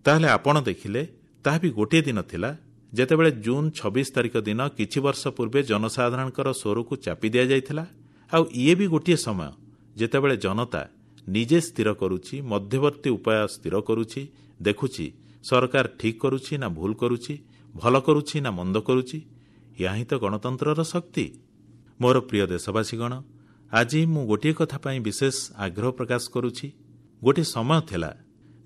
ତାହେଲେ ଆପଣ ଦେଖିଲେ, ତାହା ବି ଗୋଟିଏ ଦିନ ଥିଲା ଯେତେବେଳେ ଜୁନ୍ 26 ତାରିଖ ଦିନ କିଛି ବର୍ଷ ପୂର୍ବେ ଜନସାଧାରଣଙ୍କର ସ୍ୱରକୁ ଚାପି ଦିଆଯାଇଥିଲା। ଆଉ ଇଏ ବି ଗୋଟିଏ ସମୟ ଯେତେବେଳେ ଜନତା ନିଜେ ସ୍ଥିର କରୁଛି, ମଧ୍ୟବର୍ତ୍ତୀ ଉପାୟ ସ୍ଥିର କରୁଛି, ଦେଖୁଛି ସରକାର ଠିକ୍ କରୁଛି ନା ଭୁଲ କରୁଛି, ଭଲ କରୁଛି ନା ମନ୍ଦ କରୁଛି। ଏହା ହିଁ ତ ଗଣତନ୍ତ୍ରର ଶକ୍ତି। ମୋର ପ୍ରିୟ ଦେଶବାସୀଗଣ, ଆଜି ମୁଁ ଗୋଟିଏ କଥା ପାଇଁ ବିଶେଷ ଆଗ୍ରହ ପ୍ରକାଶ କରୁଛି। ଗୋଟିଏ ସମୟ ଥିଲା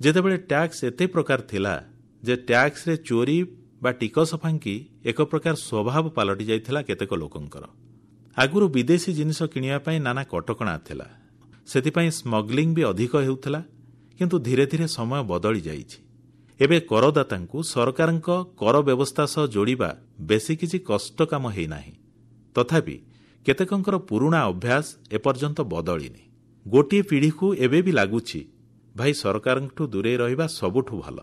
ଯେତେବେଳେ ଟ୍ୟାକ୍ସ ଏତେ ପ୍ରକାର ଥିଲା ଯେ ଟ୍ୟାକ୍ସରେ ଚୋରି ବା ଟିକସ ଫାଙ୍କି ଏକ ପ୍ରକାର ସ୍ୱଭାବ ପାଲଟି ଯାଇଥିଲା କେତେକ ଲୋକଙ୍କର। ଆଗରୁ ବିଦେଶୀ ଜିନିଷ କିଣିବା ପାଇଁ ନାନା କଟକଣା ଥିଲା, ସେଥିପାଇଁ ସ୍ମଗଲିଂ ବି ଅଧିକ ହେଉଥିଲା। କିନ୍ତୁ ଧୀରେ ଧୀରେ ସମୟ ବଦଳି ଯାଇଛି। ଏବେ କରଦାତାଙ୍କୁ ସରକାରଙ୍କ କର ବ୍ୟବସ୍ଥା ସହ ଯୋଡ଼ିବା ବେଶୀ କିଛି କଷ୍ଟ କାମ ହେଇନାହିଁ। ତଥାପି କେତେକଙ୍କର ପୁରୁଣା ଅଭ୍ୟାସ ଏପର୍ଯ୍ୟନ୍ତ ବଦଳିନି। ଗୋଟିଏ ପିଢ଼ିକୁ ଏବେ ବି ଲାଗୁଛି, ଭାଇ ସରକାରଙ୍କଠୁ ଦୂରେଇ ରହିବା ସବୁଠୁ ଭଲ।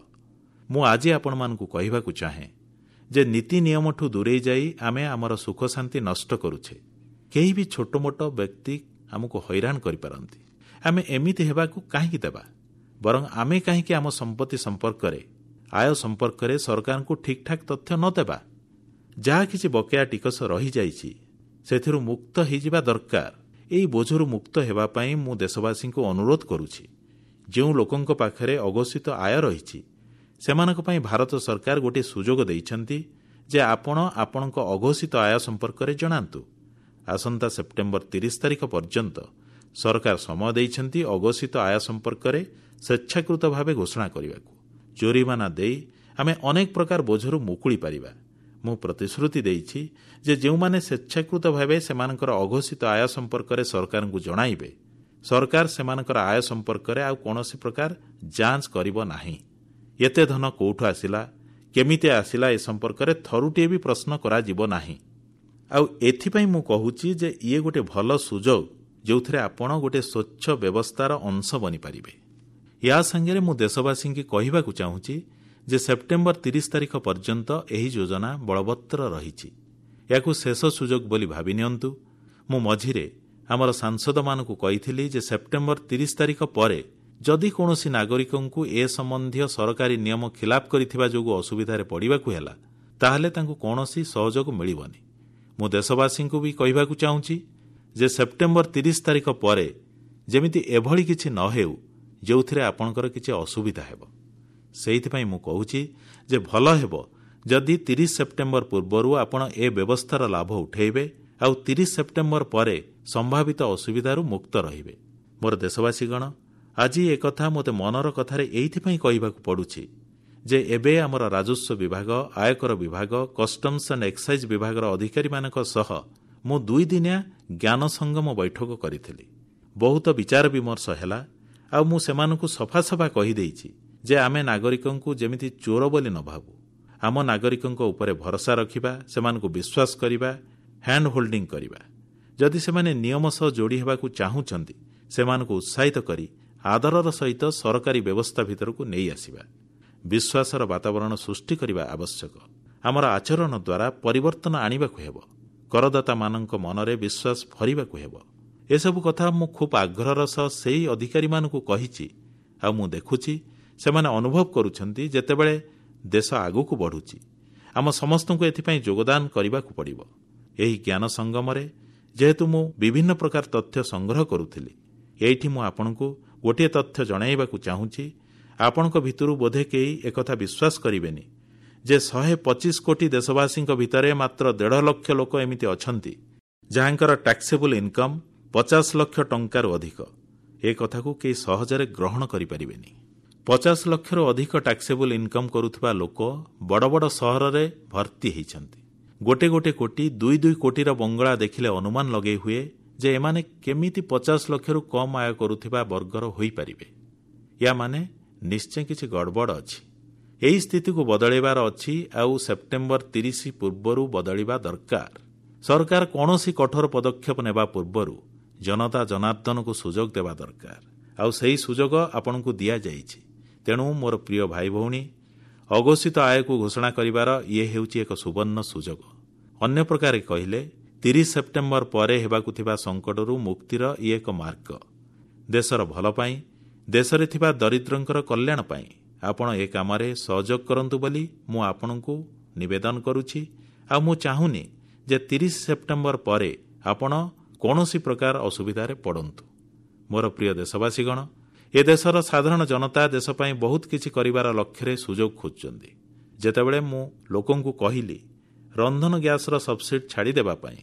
ମୁଁ ଆଜି ଆପଣମାନଙ୍କୁ କହିବାକୁ ଚାହେଁ ଯେ ନୀତି ନିୟମଠୁ ଦୂରେଇ ଯାଇ ଆମେ ଆମର ସୁଖ ଶାନ୍ତି ନଷ୍ଟ କରୁଛେ। କେହି ବି ଛୋଟମୋଟ ବ୍ୟକ୍ତି ଆମକୁ ହଇରାଣ କରିପାରନ୍ତି। ଆମେ ଏମିତି ହେବାକୁ କାହିଁକି ଦେବା? ବରଂ ଆମେ କାହିଁକି ଆମ ସମ୍ପତ୍ତି ସମ୍ପର୍କରେ, ଆୟ ସମ୍ପର୍କରେ ସରକାରଙ୍କୁ ଠିକ୍ଠାକ୍ ତଥ୍ୟ ନ ଦେବା? ଯାହା କିଛି ବକେୟା ଟିକସ ରହିଯାଇଛି ସେଥିରୁ ମୁକ୍ତ ହେଇଯିବା ଦରକାର। ଏହି ବୋଝରୁ ମୁକ୍ତ ହେବା ପାଇଁ ମୁଁ ଦେଶବାସୀଙ୍କୁ ଅନୁରୋଧ କରୁଛି। ଯେଉଁ ଲୋକଙ୍କ ପାଖରେ ଅଘୋଷିତ ଆୟ ରହିଛି, ସେମାନଙ୍କ ପାଇଁ ଭାରତ ସରକାର ଗୋଟିଏ ସୁଯୋଗ ଦେଇଛନ୍ତି ଯେ ଆପଣ ଆପଣଙ୍କ ଅଘୋଷିତ ଆୟ ସମ୍ପର୍କରେ ଜଣାନ୍ତୁ। ଆସନ୍ତା ସେପ୍ଟେମ୍ବର 30 ତାରିଖ ପର୍ଯ୍ୟନ୍ତ ସରକାର ସମୟ ଦେଇଛନ୍ତି ଅଘୋଷିତ ଆୟ ସମ୍ପର୍କରେ ସ୍ୱେଚ୍ଛାକୃତ ଭାବେ ଘୋଷଣା କରିବାକୁ। ଜୋରିମାନା ଦେଇ ଆମେ ଅନେକ ପ୍ରକାର ବୋଝରୁ ମୁକୁଳି ପାରିବା। ମୁଁ ପ୍ରତିଶ୍ରୁତି ଦେଇଛି ଯେ ଯେଉଁମାନେ ସ୍ୱେଚ୍ଛାକୃତ ଭାବେ ସେମାନଙ୍କର ଅଘୋଷିତ ଆୟ ସମ୍ପର୍କରେ ସରକାରଙ୍କୁ ଜଣାଇବେ, ସରକାର ସେମାନଙ୍କର ଆୟ ସମ୍ପର୍କରେ ଆଉ କୌଣସି ପ୍ରକାର ଯାଞ୍ଚ କରିବ ନାହିଁ। ଏତେ ଧନ କୋଉଠୁ ଆସିଲା, କେମିତି ଆସିଲା, ଏ ସମ୍ପର୍କରେ ଥରୁଟିଏ ବି ପ୍ରଶ୍ନ କରାଯିବ ନାହିଁ। ଆଉ ଏଥିପାଇଁ ମୁଁ କହୁଛି ଯେ ଇଏ ଗୋଟେ ଭଲ ସୁଯୋଗ ଯେଉଁଥିରେ ଆପଣ ଗୋଟେ ସ୍ୱଚ୍ଛ ବ୍ୟବସ୍ଥାର ଅଂଶ ବନିପାରିବେ। ଏହା ସାଙ୍ଗରେ ମୁଁ ଦେଶବାସୀଙ୍କୁ କହିବାକୁ ଚାହୁଁଛି ଯେ ସେପ୍ଟେମ୍ବର 30 ତାରିଖ ପର୍ଯ୍ୟନ୍ତ ଏହି ଯୋଜନା ବଳବତ୍ତର ରହିଛି। ଏହାକୁ ଶେଷ ସୁଯୋଗ ବୋଲି ଭାବି ନିଅନ୍ତୁ। ମୁଁ ମଝିରେ ଆମର ସାଂସଦମାନଙ୍କୁ କହିଥିଲି ଯେ ସେପ୍ଟେମ୍ବର 30 ତାରିଖ ପରେ ଯଦି କୌଣସି ନାଗରିକଙ୍କୁ ଏ ସମ୍ବନ୍ଧୀୟ ସରକାରୀ ନିୟମ ଖିଲାପ କରିଥିବା ଯୋଗୁଁ ଅସୁବିଧାରେ ପଡ଼ିବାକୁ ହେଲା, ତାହେଲେ ତାଙ୍କୁ କୌଣସି ସହଯୋଗ ମିଳିବନି। ମୁଁ ଦେଶବାସୀଙ୍କୁ ବି କହିବାକୁ ଚାହୁଁଛି ଯେ ସେପ୍ଟେମ୍ବର 30 ତାରିଖ ପରେ ଯେମିତି ଏଭଳି କିଛି ନ ହେଉ ଯେଉଁଥିରେ ଆପଣଙ୍କର କିଛି ଅସୁବିଧା ହେବ। ସେଇଥିପାଇଁ ମୁଁ କହୁଛି ଯେ ଭଲ ହେବ ଯଦି 30 ସେପ୍ଟେମ୍ବର ପୂର୍ବରୁ ଆପଣ ଏ ବ୍ୟବସ୍ଥାର ଲାଭ ଉଠାଇବେ ଆଉ 30 ସେପ୍ଟେମ୍ବର ପରେ ସମ୍ଭାବିତ ଅସୁବିଧାରୁ ମୁକ୍ତ ରହିବେ। ମୋର ଦେଶବାସୀଗଣ, ଆଜି ଏକଥା ମୋତେ ମନର କଥାରେ ଏଇଥିପାଇଁ କହିବାକୁ ପଡ଼ୁଛି ଯେ ଏବେ ଆମର ରାଜସ୍ୱ ବିଭାଗ, ଆୟକର ବିଭାଗ, କଷ୍ଟମ୍ସ ଆଣ୍ଡ ଏକ୍ସାଇଜ୍ ବିଭାଗର ଅଧିକାରୀମାନଙ୍କ ସହ ମୁଁ 2 ଦିନିଆ ଜ୍ଞାନ ସଙ୍ଗମ ବୈଠକ କରିଥିଲି। ବହୁତ ବିଚାର ବିମର୍ଶ ହେଲା ଆଉ ମୁଁ ସେମାନଙ୍କୁ ସଫା ସଫା କହିଦେଇଛି ଯେ ଆମେ ନାଗରିକଙ୍କୁ ଯେମିତି ଚୋର ବୋଲି ନ ଭାବୁ, ଆମ ନାଗରିକଙ୍କ ଉପରେ ଭରସା ରଖିବା, ସେମାନଙ୍କୁ ବିଶ୍ୱାସ କରିବା, ହ୍ୟାଣ୍ଡ ହୋଲ୍ଡିଂ କରିବା। ଯଦି ସେମାନେ ନିୟମ ସହ ଯୋଡ଼ି ହେବାକୁ ଚାହୁଁଛନ୍ତି, ସେମାନଙ୍କୁ ଉତ୍ସାହିତ କରି ଆଦରର ସହିତ ସରକାରୀ ବ୍ୟବସ୍ଥା ଭିତରକୁ ନେଇ ଆସିବା। ବିଶ୍ୱାସର ବାତାବରଣ ସୃଷ୍ଟି କରିବା ଆବଶ୍ୟକ। ଆମର ଆଚରଣ ଦ୍ୱାରା ପରିବର୍ତ୍ତନ ଆଣିବାକୁ ହେବ। କରଦାତାମାନଙ୍କ ମନରେ ବିଶ୍ୱାସ ଭରିବାକୁ ହେବ। ଏସବୁ କଥା ମୁଁ ଖୁବ୍ ଆଗ୍ରହର ସହ ସେହି ଅଧିକାରୀମାନଙ୍କୁ କହିଛି ଆଉ ମୁଁ ଦେଖୁଛି ସେମାନେ ଅନୁଭବ କରୁଛନ୍ତି ଯେତେବେଳେ ଦେଶ ଆଗକୁ ବଢ଼ୁଛି, ଆମ ସମସ୍ତଙ୍କୁ ଏଥିପାଇଁ ଯୋଗଦାନ କରିବାକୁ ପଡ଼ିବ। ଏହି ଜ୍ଞାନ ସଙ୍ଗମରେ ଯେହେତୁ ମୁଁ ବିଭିନ୍ନ ପ୍ରକାର ତଥ୍ୟ ସଂଗ୍ରହ କରୁଥିଲି, ଏଇଠି ମୁଁ ଆପଣଙ୍କୁ ଗୋଟିଏ ତଥ୍ୟ ଜଣାଇବାକୁ ଚାହୁଁଛି। ଆପଣଙ୍କ ଭିତରୁ ବୋଧେ କେହି ଏକଥା ବିଶ୍ୱାସ କରିବେନି ଯେ 125 କୋଟି ଦେଶବାସୀଙ୍କ ଭିତରେ ମାତ୍ର 1.5 ଲକ୍ଷ ଲୋକ ଏମିତି ଅଛନ୍ତି ଯାହାଙ୍କର ଟ୍ୟାକ୍ସେବୁଲ ଇନକମ୍ 50 ଲକ୍ଷ ଟଙ୍କାରୁ ଅଧିକ। ଏ କଥାକୁ କେହି ସହଜରେ ଗ୍ରହଣ କରିପାରିବେନି। 50 ଲକ୍ଷରୁ ଅଧିକ ଟ୍ୟାକ୍ସେବୁଲ ଇନକମ୍ କରୁଥିବା ଲୋକ ବଡ଼ ବଡ଼ ସହରରେ ଭର୍ତ୍ତି ହୋଇଛନ୍ତି। ଗୋଟେ ଗୋଟେ କୋଟି, 2-2 କୋଟିର ବଙ୍ଗଳା ଦେଖିଲେ ଅନୁମାନ ଲଗେଇ ହୁଏ ଯେ ଏମାନେ କେମିତି 50 ଲକ୍ଷରୁ କମ୍ ଆୟ କରୁଥିବା ବର୍ଗର ହୋଇପାରିବେ। ୟା ମାନେ ନିଶ୍ଚୟ କିଛି ଗଡ଼ବଡ଼ ଅଛି। ଏହି ସ୍ଥିତିକୁ ବଦଳାଇବାର ଅଛି ଆଉ ସେପ୍ଟେମ୍ବର 30 ପୂର୍ବରୁ ବଦଳିବା ଦରକାର। ସରକାର କୌଣସି କଠୋର ପଦକ୍ଷେପ ନେବା ପୂର୍ବରୁ ଜନତା ଜନାର୍ଦ୍ଦନକୁ ସୁଯୋଗ ଦେବା ଦରକାର, ଆଉ ସେହି ସୁଯୋଗ ଆପଣଙ୍କୁ ଦିଆଯାଇଛି। ତେଣୁ ମୋର ପ୍ରିୟ ଭାଇ ଭଉଣୀ, ଅଘୋଷିତ ଆୟକୁ ଘୋଷଣା କରିବାର ଇଏ ହେଉଛି ଏକ ସୁବର୍ଣ୍ଣ ସୁଯୋଗ। ଅନ୍ୟ ପ୍ରକାରେ କହିଲେ 30 ସେପ୍ଟେମ୍ବର ପରେ ହେବାକୁ ଥିବା ସଙ୍କଟରୁ ମୁକ୍ତିର ଇଏ ଏକ ମାର୍ଗ। ଦେଶର ଭଲ ପାଇଁ, ଦେଶରେ ଥିବା ଦରିଦ୍ରଙ୍କର କଲ୍ୟାଣ ପାଇଁ ଆପଣ ଏ କାମରେ ସହଯୋଗ କରନ୍ତୁ ବୋଲି ମୁଁ ଆପଣଙ୍କୁ ନିବେଦନ କରୁଛି। ଆଉ ମୁଁ ଚାହୁଁନି ଯେ 30 ସେପ୍ଟେମ୍ବର ପରେ ଆପଣ କୌଣସି ପ୍ରକାର ଅସୁବିଧାରେ ପଡ଼ନ୍ତୁ। ମୋର ପ୍ରିୟ ଦେଶବାସୀଗଣ, ଏ ଦେଶର ସାଧାରଣ ଜନତା ଦେଶ ପାଇଁ ବହୁତ କିଛି କରିବାର ଲକ୍ଷ୍ୟରେ ସୁଯୋଗ ଖୋଜୁଛନ୍ତି। ଯେତେବେଳେ ମୁଁ ଲୋକଙ୍କୁ କହିଲି ରନ୍ଧନ ଗ୍ୟାସର ସବସିଡି ଛାଡ଼ିଦେବା ପାଇଁ,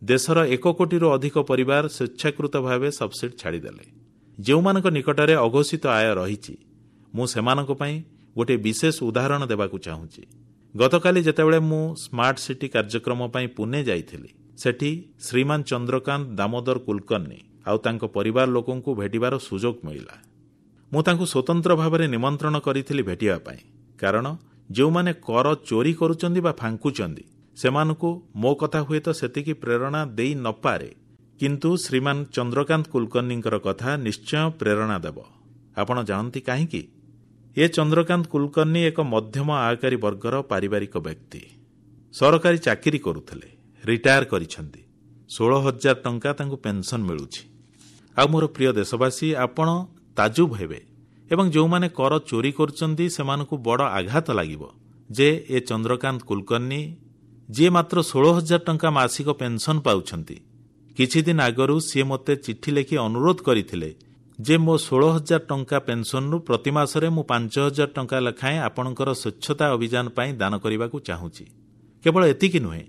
ଦେଶର 1 କୋଟିରୁ ଅଧିକ ପରିବାର ସ୍ୱେଚ୍ଛାକୃତ ଭାବେ ସବସିଡି ଛାଡ଼ିଦେଲେ। ଯେଉଁମାନଙ୍କ ନିକଟରେ ଅଘୋଷିତ ଆୟ ରହିଛି, ମୁଁ ସେମାନଙ୍କ ପାଇଁ ଗୋଟିଏ ବିଶେଷ ଉଦାହରଣ ଦେବାକୁ ଚାହୁଁଛି। ଗତକାଲି ଯେତେବେଳେ ମୁଁ ସ୍ମାର୍ଟ ସିଟି କାର୍ଯ୍ୟକ୍ରମ ପାଇଁ ପୁନେ ଯାଇଥିଲି, ସେଠି ଶ୍ରୀମାନ ଚନ୍ଦ୍ରକାନ୍ତ ଦାମୋଦର କୁଲକର୍ଣ୍ଣି ଆଉ ତାଙ୍କ ପରିବାର ଲୋକଙ୍କୁ ଭେଟିବାର ସୁଯୋଗ ମିଳିଲା। ମୁଁ ତାଙ୍କୁ ସ୍ୱତନ୍ତ୍ର ଭାବରେ ନିମନ୍ତ୍ରଣ କରିଥିଲି ଭେଟିବା ପାଇଁ, କାରଣ ଯେଉଁମାନେ କର ଚୋରି କରୁଛନ୍ତି ବା ଫାଙ୍କୁଛନ୍ତି ସେମାନଙ୍କୁ ମୋ କଥା ହୁଏତ ସେତିକି ପ୍ରେରଣା ଦେଇ ନପାରେ, କିନ୍ତୁ ଶ୍ରୀମାନ ଚନ୍ଦ୍ରକାନ୍ତ କୁଲକର୍ଣ୍ଣିଙ୍କର କଥା ନିଶ୍ଚୟ ପ୍ରେରଣା ଦେବ। ଆପଣ ଜାଣନ୍ତି କାହିଁକି? ଏ ଚନ୍ଦ୍ରକାନ୍ତ କୁଲକର୍ଣ୍ଣି ଏକ ମଧ୍ୟମ ଆୟକାରୀ ବର୍ଗର ପାରିବାରିକ ବ୍ୟକ୍ତି। ସରକାରୀ ଚାକିରି କରୁଥିଲେ, ରିଟାୟାର କରିଛନ୍ତି। 16,000 ଟଙ୍କା ତାଙ୍କୁ ପେନ୍ସନ୍ ମିଳୁଛି। ଆଉ ମୋର ପ୍ରିୟ ଦେଶବାସୀ, ଆପଣ ତାଜୁବ ହେବେ ଏବଂ ଯେଉଁମାନେ କର ଚୋରି କରୁଛନ୍ତି ସେମାନଙ୍କୁ ବଡ଼ ଆଘାତ ଲାଗିବ ଯେ ଏ ଚନ୍ଦ୍ରକାନ୍ତ କୁଲକର୍ଣ୍ଣି, ଯିଏ ମାତ୍ର 16,000 ଟଙ୍କା ମାସିକ ପେନ୍ସନ୍ ପାଉଛନ୍ତି, କିଛି ଦିନ ଆଗରୁ ସିଏ ମୋତେ ଚିଠି ଲେଖି ଅନୁରୋଧ କରିଥିଲେ ଯେ ମୋ 16,000 ଟଙ୍କା ପେନ୍ସନ୍ରୁ ପ୍ରତି ମାସରେ ମୁଁ 5,000 ଟଙ୍କା ଲେଖାଏଁ ଆପଣଙ୍କର ସ୍ୱଚ୍ଛତା ଅଭିଯାନ ପାଇଁ ଦାନ କରିବାକୁ ଚାହୁଁଛି। କେବଳ ଏତିକି ନୁହେଁ,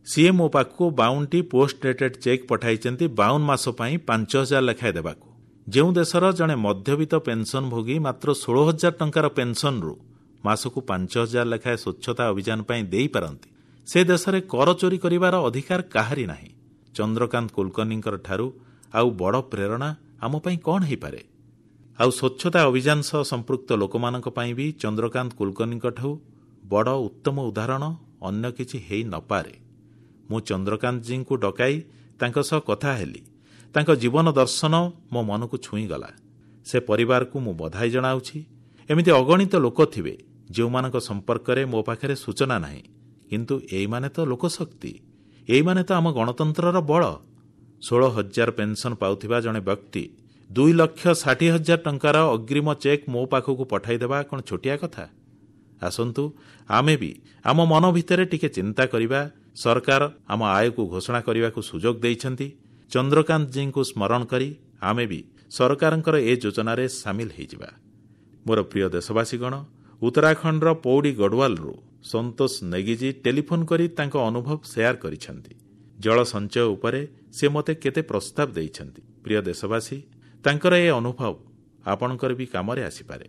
ସିଏ ମୋ ପାଖକୁ 52ଟି ପୋଷ୍ଟ ଡେଟେଡ୍ ଚେକ୍ ପଠାଇଛନ୍ତି 52 ମାସ ପାଇଁ 5,000 ଲେଖାଏଁ ଦେବାକୁ। ଯେଉଁ ଦେଶର ଜଣେ ମଧ୍ୟବିତ୍ତ ପେନ୍ସନ୍ ଭୋଗୀ ମାତ୍ର 16,000 ଟଙ୍କାର ପେନ୍ସନ୍ରୁ ମାସକୁ 5,000 ଲେଖାଏଁ ସ୍ୱଚ୍ଛତା ଅଭିଯାନ ପାଇଁ ଦେଇପାରନ୍ତି, ସେ ଦେଶରେ କର ଚୋରି କରିବାର ଅଧିକାର କାହାରି ନାହିଁ। ଚନ୍ଦ୍ରକାନ୍ତ କୁଲକର୍ଣ୍ଣିଙ୍କର ଠାରୁ ଆଉ ବଡ଼ ପ୍ରେରଣା ଆମ ପାଇଁ କ'ଣ ହୋଇପାରେ? ଆଉ ସ୍ୱଚ୍ଛତା ଅଭିଯାନ ସହ ସମ୍ପୃକ୍ତ ଲୋକମାନଙ୍କ ପାଇଁ ବି ଚନ୍ଦ୍ରକାନ୍ତ କୁଲକର୍ଣ୍ଣିଙ୍କଠାରୁ ବଡ଼ ଉତ୍ତମ ଉଦାହରଣ ଅନ୍ୟ କିଛି ହୋଇନପାରେ। ମୁଁ ଚନ୍ଦ୍ରକାନ୍ତଜୀଙ୍କୁ ଡକାଇ ତାଙ୍କ ସହ କଥା ହେଲି। ତାଙ୍କ ଜୀବନ ଦର୍ଶନ ମୋ ମନକୁ ଛୁଇଁଗଲା। ସେ ପରିବାରକୁ ମୁଁ ବଧାଇ ଜଣାଉଛି। ଏମିତି ଅଗଣିତ ଲୋକ ଥିବେ ଯେଉଁମାନଙ୍କ ସମ୍ପର୍କରେ ମୋ ପାଖରେ ସୂଚନା ନାହିଁ, କିନ୍ତୁ ଏଇମାନେ ତ ଲୋକଶକ୍ତି, ଏଇମାନେ ତ ଆମ ଗଣତନ୍ତ୍ରର ବଳ। 16,000 ପେନ୍ସନ୍ ପାଉଥିବା ଜଣେ ବ୍ୟକ୍ତି 2,60,000 ଟଙ୍କାର ଅଗ୍ରିମ ଚେକ୍ ମୋ ପାଖକୁ ପଠାଇଦେବା କ'ଣ ଛୋଟିଆ କଥା? ଆସନ୍ତୁ ଆମେ ବି ଆମ ମନ ଭିତରେ ଟିକେ ଚିନ୍ତା କରିବା। ସରକାର ଆମ ଆୟକୁ ଘୋଷଣା କରିବାକୁ ସୁଯୋଗ ଦେଇଛନ୍ତି। ଚନ୍ଦ୍ରକାନ୍ତଜୀଙ୍କୁ ସ୍ମରଣ କରି ଆମେ ବି ସରକାରଙ୍କର ଏ ଯୋଜନାରେ ସାମିଲ ହୋଇଯିବା। ମୋର ପ୍ରିୟ ଦେଶବାସୀଗଣ, ଉତ୍ତରାଖଣ୍ଡର ପୌଡ଼ି ଗଡ଼ୱାଲରୁ ସନ୍ତୋଷ ନେଗିଜୀ ଟେଲିଫୋନ୍ କରି ତାଙ୍କ ଅନୁଭବ ସେୟାର କରିଛନ୍ତି। ଜଳ ସଞ୍ଚୟ ଉପରେ ସେ ମୋତେ କେତେ ପ୍ରସ୍ତାବ ଦେଇଛନ୍ତି। ପ୍ରିୟ ଦେଶବାସୀ, ତାଙ୍କର ଏ ଅନୁଭବ ଆପଣଙ୍କର ବି କାମରେ ଆସିପାରେ।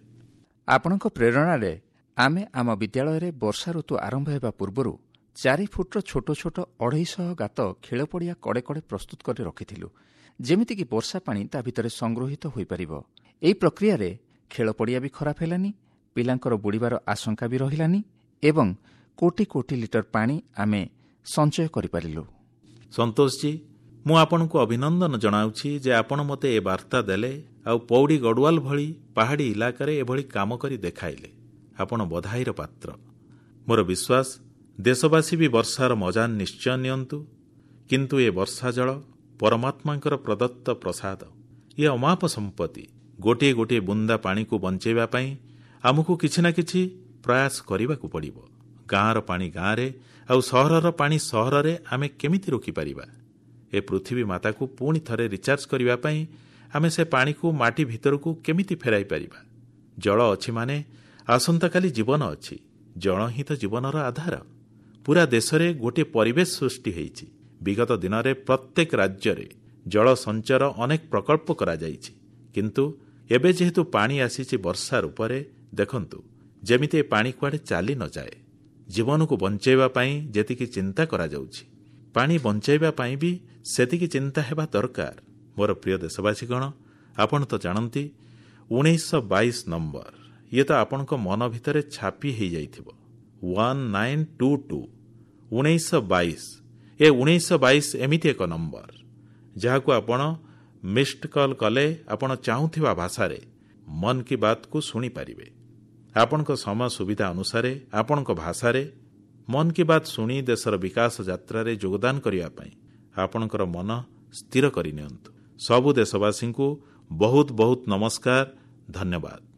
ଆପଣଙ୍କ ପ୍ରେରଣାରେ ଆମେ ଆମ ବିଦ୍ୟାଳୟରେ ବର୍ଷା ଋତୁ ଆରମ୍ଭ ହେବା ପୂର୍ବରୁ 4 ଫୁଟର ଛୋଟ ଛୋଟ 250 ଗାତ ଖେଳପଡ଼ିଆ କଡ଼େ କଡ଼େ ପ୍ରସ୍ତୁତ କରି ରଖିଥିଲୁ, ଯେମିତିକି ବର୍ଷା ପାଣି ତା ଭିତରେ ସଂଗୃହୀତ ହୋଇପାରିବ। ଏହି ପ୍ରକ୍ରିୟାରେ ଖେଳପଡ଼ିଆ ବି ଖରାପ ହେଲାନି, ପିଲାଙ୍କର ବୁଡ଼ିବାର ଆଶଙ୍କା ବି ରହିଲାନି ଏବଂ କୋଟି କୋଟି ଲିଟର ପାଣି ଆମେ ସଞ୍ଚୟ କରିପାରିଲୁ। ସନ୍ତୋଷଜୀ, ମୁଁ ଆପଣଙ୍କୁ ଅଭିନନ୍ଦନ ଜଣାଉଛି ଯେ ଆପଣ ମୋତେ ଏ ବାର୍ତ୍ତା ଦେଲେ ଆଉ ପୌଡ଼ି ଗଡ଼ୱାଲ ଭଳି ପାହାଡ଼ି ଇଲାକାରେ ଏଭଳି କାମ କରି ଦେଖାଇଲେ। ଆପଣ ବଧାଇର ପାତ୍ର। ମୋର ବିଶ୍ୱାସ ଦେଶବାସୀ ବି ବର୍ଷାର ମଜା ନିଶ୍ଚୟ ନିଅନ୍ତୁ, କିନ୍ତୁ ଏ ବର୍ଷା ଜଳ ପରମାତ୍ମାଙ୍କର ପ୍ରଦତ୍ତ ପ୍ରସାଦ, ଇଏ ଅମାପ ସମ୍ପତ୍ତି। ଗୋଟିଏ ଗୋଟିଏ ବୁନ୍ଦା ପାଣିକୁ ବଞ୍ଚାଇବା ପାଇଁ ଆମକୁ କିଛି ନା କିଛି ପ୍ରୟାସ କରିବାକୁ ପଡ଼ିବ। ଗାଁର ପାଣି ଗାଁରେ ଆଉ ସହରର ପାଣି ସହରରେ ଆମେ କେମିତି ରୋକିପାରିବା? ଏ ପୃଥିବୀ ମାତାକୁ ପୁଣି ଥରେ ରିଚାର୍ଜ କରିବା ପାଇଁ ଆମେ ସେ ପାଣିକୁ ମାଟି ଭିତରକୁ କେମିତି ଫେରାଇ ପାରିବା? ଜଳ ଅଛି ମାନେ ଆସନ୍ତାକାଲି ଜୀବନ ଅଛି। ଜଳ ହିଁ ତ ଜୀବନର ଆଧାର। ପୁରା ଦେଶରେ ଗୋଟିଏ ପରିବେଶ ସୃଷ୍ଟି ହୋଇଛି। ବିଗତ ଦିନରେ ପ୍ରତ୍ୟେକ ରାଜ୍ୟରେ ଜଳ ସଞ୍ଚୟର ଅନେକ ପ୍ରକଳ୍ପ କରାଯାଇଛି। କିନ୍ତୁ ଏବେ ଯେହେତୁ ପାଣି ଆସିଛି ବର୍ଷା ରୂପରେ, ଦେଖନ୍ତୁ ଯେମିତି ଏ ପାଣି କୁଆଡ଼େ ଚାଲି ନ ଯାଏ। ଜୀବନକୁ ବଞ୍ଚାଇବା ପାଇଁ ଯେତିକି ଚିନ୍ତା କରାଯାଉଛି, ପାଣି ବଞ୍ଚାଇବା ପାଇଁ ବି ସେତିକି ଚିନ୍ତା ହେବା ଦରକାର। ମୋର ପ୍ରିୟ ଦେଶବାସୀଗଣ, ଆପଣ ତ ଜାଣନ୍ତି 1922 ନମ୍ବର, ଇଏ ତ ଆପଣଙ୍କ ମନ ଭିତରେ ଛାପି ହୋଇଯାଇଥିବ। 1922, 1922। ଏ 1922 ଏମିତି ଏକ ନମ୍ବର ଯାହାକୁ ଆପଣ ମିସ୍ଡ କଲ୍ କଲେ ଆପଣ ଚାହୁଁଥିବା ଭାଷାରେ ମନ୍ କି ବାତ୍କୁ ଶୁଣିପାରିବେ। ଆପଣଙ୍କ ସମୟ ସୁବିଧା ଅନୁସାରେ ଆପଣଙ୍କ ଭାଷାରେ ମନ୍ କି ବାତ୍ ଶୁଣି ଦେଶର ବିକାଶ ଯାତ୍ରାରେ ଯୋଗଦାନ କରିବା ପାଇଁ ଆପଣଙ୍କର ମନ ସ୍ଥିର କରିନିଅନ୍ତୁ। ସବୁ ଦେଶବାସୀଙ୍କୁ ବହୁତ ବହୁତ ନମସ୍କାର, ଧନ୍ୟବାଦ।